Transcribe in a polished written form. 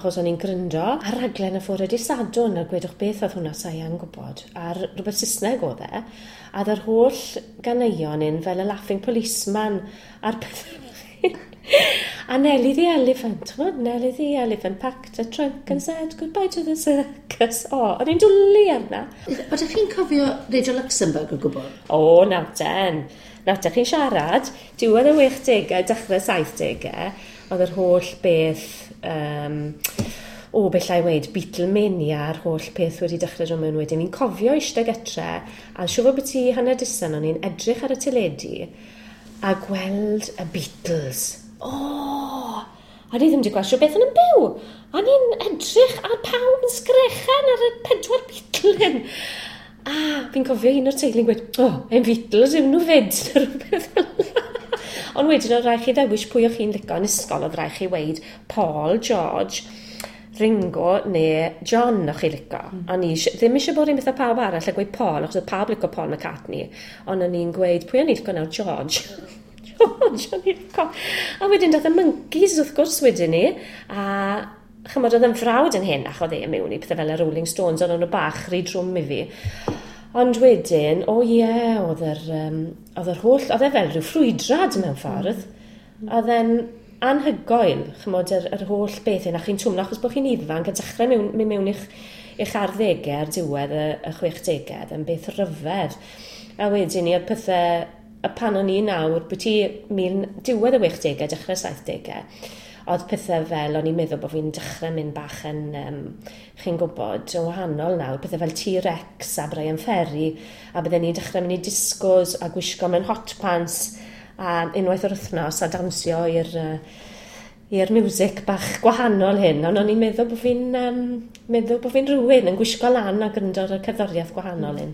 Achos o'n i'n gryndo ar raglen y fore dydd Sadwrn, a gwedwch beth oedd hwnna, sa i yn gwybod, ar rhywbeth Saesneg oedd e, a oedd yr holl ganeuon un fel y Laughing Policeman a'r pethau. A Nelly the Elephant, ch'mod? Nelly the Elephant packed a trunk and said goodbye to the circus. O, o'n i'n dwlu arna. Ydych chi'n cofio Radio Luxembourg o gwbl? O, nawr ten. Nawr te, chi'n siarad, diwedd y 60au, dechrau 70au, oedd yr holl beth, o, beth llai weud, Beatlemania a'r holl peth wedi dechrau dod mewn wedyn. Fi'n cofio eistedd gytre, a siŵr fod byti hanner disan o'n i'n edrych ar y teledu a gweld y Beatles. O! A ni ddim wedi gweld siŵr beth yn byw. A ni'n edrych ar pawb yn sgrechen ar y pedwar Beatle hyn. A fi'n cofio un o'r teulu'n gweud, "O, oh, ein Beatles yw nhw fyd," neu rhywbeth fel 'na. Ond wedyn oedd rhaid chi ddewis pwy o'ch chi'n licio yn ysgol, oedd rhaid chi weud Paul, George, Ringo neu John o'ch chi licio. O'n i ddim eisiau bod un beth â pawb arall a gweud Paul, achos oedd pawb licio Paul McCartney. Ond o'n i'n gweud, pwy o'n i'n licio nawr? George. George o'n i'n licio. A wedyn dath y Monkeys wrth gwrs wedyn ni. A chymod oedd yn frawd yn hyn, ac oedd e mewn i pethau fel y Rolling Stones, ond o'n nhw bach rhy drwm i fi. Ond wedyn, o ie, oedd yr holl, oedd e fel rhyw ffrwydrad mewn ffordd. Oedd e'n anhygoel, chymod, yr holl beth hyn, a chi'n twmlo achos bod chi'n ifanc a dechrau mynd mewn i'ch arddegau ar diwedd y 60au, yn beth rhyfedd. A wedyn ni, oedd pethau, y pan o'n i nawr, byti diwedd y 60au, dechrau 70au, oedd pethau fel, o'n i'n meddwl bod fi'n dechrau mynd bach yn, chi'n gwybod, yn wahanol nawr, pethau fel T-Rex a Bryan Ferry, a bydden ni'n dechrau mynd i discos a gwisgo mewn hot pants a unwaith yr wythnos a dawnsio i'r music bach gwahanol hyn, ond o'n i'n meddwl bod fi'n rhywun yn gwisgo lan a gryndo ar y cerddoriaeth gwahanol hyn.